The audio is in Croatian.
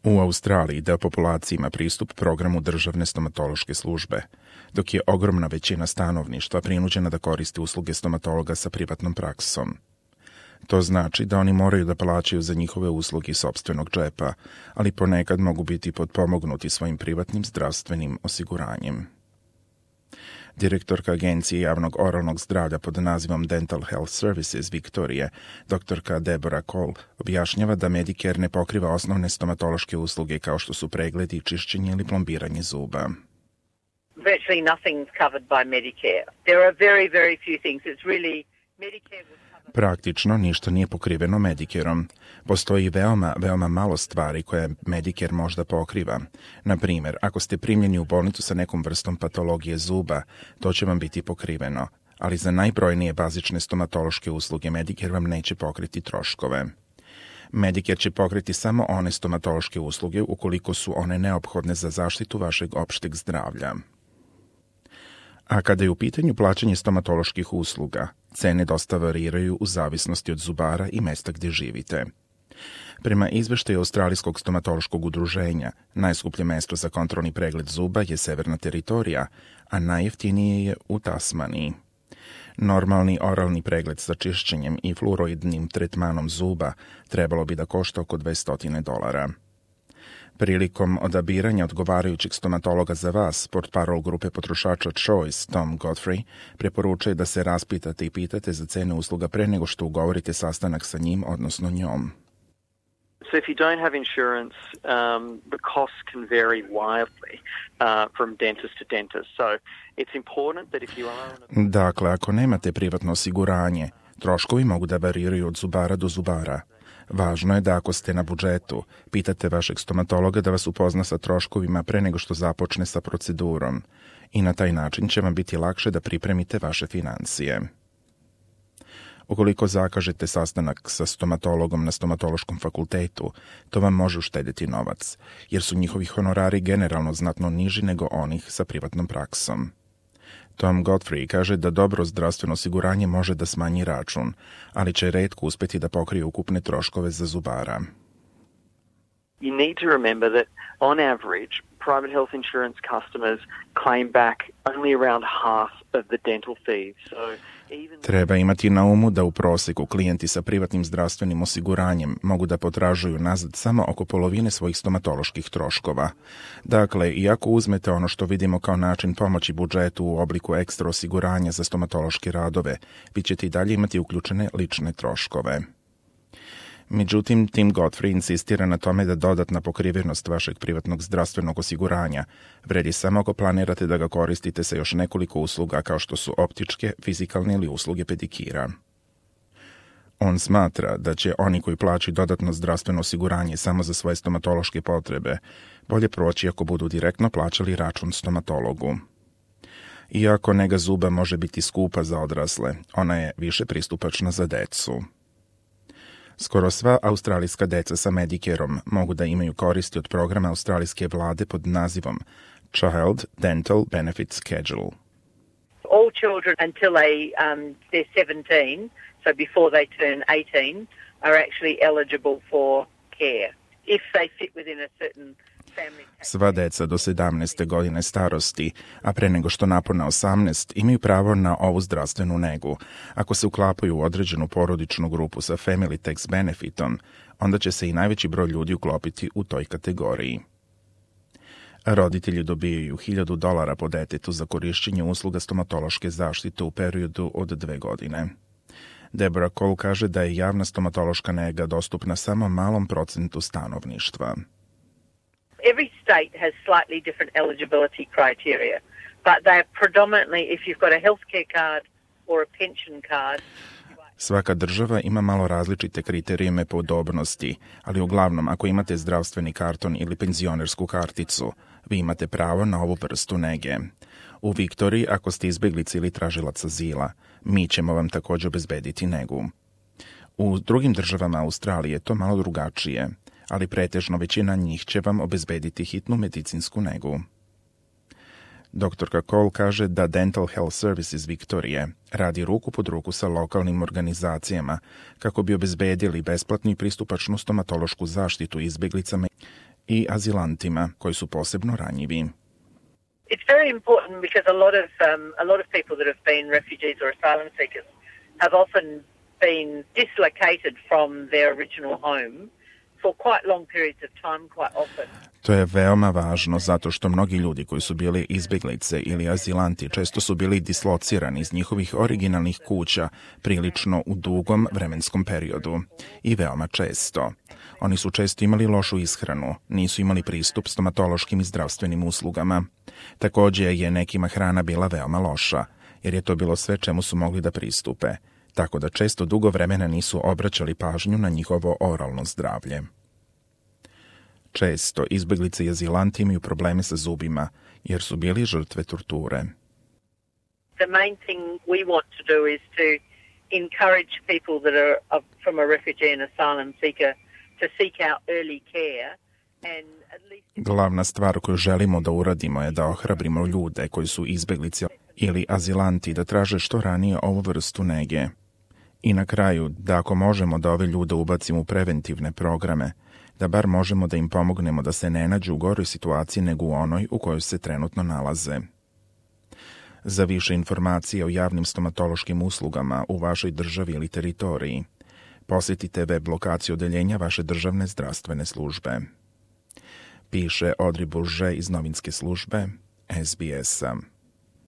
U Australiji deo populacije ima pristup programu državne stomatološke službe, dok je ogromna većina stanovništva prinuđena da koristi usluge stomatologa sa privatnom praksom. To znači da oni moraju da plaćaju za njihove usluge iz sopstvenog džepa, ali ponekad mogu biti potpomognuti svojim privatnim zdravstvenim osiguranjem. Direktorka Agencije javnog oralnog zdravlja pod nazivom Dental Health Services Viktorije, doktorka Deborah Cole, objašnjava da Medicare ne pokriva osnovne stomatološke usluge kao što su pregledi, čišćenje ili plombiranje zuba. Virtually nothing's covered by Medicare. There are very, very few things. It's really Medicare will cover... Praktično ništa nije pokriveno Medicareom. Postoji veoma malo stvari koje Medicare možda pokriva. Na primjer, ako ste primljeni u bolnicu sa nekom vrstom patologije zuba, to će vam biti pokriveno, ali za najbrojnije bazične stomatološke usluge Medicare vam neće pokriti troškove. Medicare će pokriti samo one stomatološke usluge ukoliko su one neophodne za zaštitu vašeg opšteg zdravlja. A kada je u pitanju plaćanje stomatoloških usluga, cene dosta variraju u zavisnosti od zubara i mesta gdje živite. Prema izveštaju Australijskog stomatološkog udruženja, najskuplje mesto za kontrolni pregled zuba je Severna teritorija, a najjeftinije je u Tasmaniji. Normalni oralni pregled sa čišćenjem i fluoroidnim tretmanom zuba trebalo bi da košta oko $200. Prilikom odabiranja odgovarajućeg stomatologa za vas, portparol grupe potrošača Choice, Tom Godfrey, preporučuje da se raspitate i pitate za cene usluga pre nego što ugovorite sastanak sa njim, odnosno njom. So if you don't have insurance, the costs can vary wildly from dentist to dentist. So it's important that if you are... Dakle, ako nemate privatno osiguranje, troškovi mogu da variraju od zubara do zubara. Važno je da ako ste na budžetu, pitate vašeg stomatologa da vas upozna sa troškovima pre nego što započne sa procedurom i na taj način će vam biti lakše da pripremite vaše financije. Ukoliko zakažete sastanak sa stomatologom na stomatološkom fakultetu, to vam može uštediti novac, jer su njihovi honorari generalno znatno niži nego onih sa privatnom praksom. Tom Godfrey kaže da dobro zdravstveno osiguranje može da smanji račun, ali će retko uspjeti da pokrije ukupne troškove za zubara. You need to remember that on average, private health insurance customers claim back only around half of the dental fees. Treba imati na umu da u prosjeku klijenti sa privatnim zdravstvenim osiguranjem mogu da potražuju nazad samo oko polovine svojih stomatoloških troškova. Dakle, iako uzmete ono što vidimo kao način pomoći budžetu u obliku ekstra osiguranja za stomatološke radove, vi ćete i dalje imati uključene lične troškove. Međutim, Tim Godfrey insistira na tome da dodatna pokrivenost vašeg privatnog zdravstvenog osiguranja vredi samo ako planirate da ga koristite sa još nekoliko usluga kao što su optičke, fizikalne ili usluge pedikira. On smatra da će oni koji plaćaju dodatno zdravstveno osiguranje samo za svoje stomatološke potrebe bolje proći ako budu direktno plaćali račun stomatologu. Iako nega zuba može biti skupa za odrasle, ona je više pristupačna za decu. Skoro sva australijska deca sa Medicareom mogu da imaju koristi od programa australijske vlade pod nazivom Child Dental Benefit Schedule. All children until they're 17, so before they turn 18, are actually eligible for care if they fit within a certain family. Sva deca do 17. godine starosti, a pre nego što napune 18, imaju pravo na ovu zdravstvenu negu. Ako se uklapaju u određenu porodičnu grupu sa Family Tax Benefitom, onda će se i najveći broj ljudi uklopiti u toj kategoriji. Roditelji dobijaju $1,000 po detetu za korišćenje usluga stomatološke zaštite u periodu od 2 godine. Deborah Cole kaže da je javna stomatološka nega dostupna samo malom procentu stanovništva. Every state has slightly different eligibility criteria, but they are predominantly if you've got a healthcare card or a pension card. Svaka država ima malo različite kriterijume podobnosti, ali uglavnom ako imate zdravstveni karton ili penzionersku karticu, vi imate pravo na ovu vrstu nege. U Viktoriji, ako ste izbjeglica ili tražilac azila, mi ćemo vam također obezbediti negu. U drugim državama Australije je to malo drugačije, ali pretežno većina njih će vam obezbediti hitnu medicinsku negu. Doktorka Cole kaže da Dental Health Services Viktorije radi ruku pod ruku sa lokalnim organizacijama kako bi obezbedili besplatnu i pristupačnu stomatološku zaštitu izbjeglicama i azilantima koji su posebno ranjivi. It's very important because a lot of people that have been refugees or asylum seekers have often been dislocated from their original home for quite long periods of time, quite often. To je veoma važno zato što mnogi ljudi koji su bili izbjeglice ili azilanti često su bili dislocirani iz njihovih originalnih kuća prilično u dugom vremenskom periodu i veoma često. Oni su često imali lošu ishranu, nisu imali pristup stomatološkim i zdravstvenim uslugama. Također je nekima hrana bila veoma loša, jer je to bilo sve čemu su mogli da pristupe, tako da često dugo vremena nisu obraćali pažnju na njihovo oralno zdravlje. Često izbjeglice i azilanti imaju probleme sa zubima, jer su bili žrtve torture. The main thing we want to do is to encourage people that are from a refugee and asylum seeker to seek out early care. Glavna stvar koju želimo da uradimo je da ohrabrimo ljude koji su izbjeglice ili azilanti da traže što ranije ovu vrstu nege. I na kraju, da ako možemo da ove ljude ubacimo u preventivne programe, da bar možemo da im pomognemo da se ne nađu u goroj situaciji nego u onoj u kojoj se trenutno nalaze. Za više informacije o javnim stomatološkim uslugama u vašoj državi ili teritoriji, posjetite web lokaciju odeljenja vaše državne zdravstvene službe. Piše Audrey Bourget iz novinske službe SBS-a.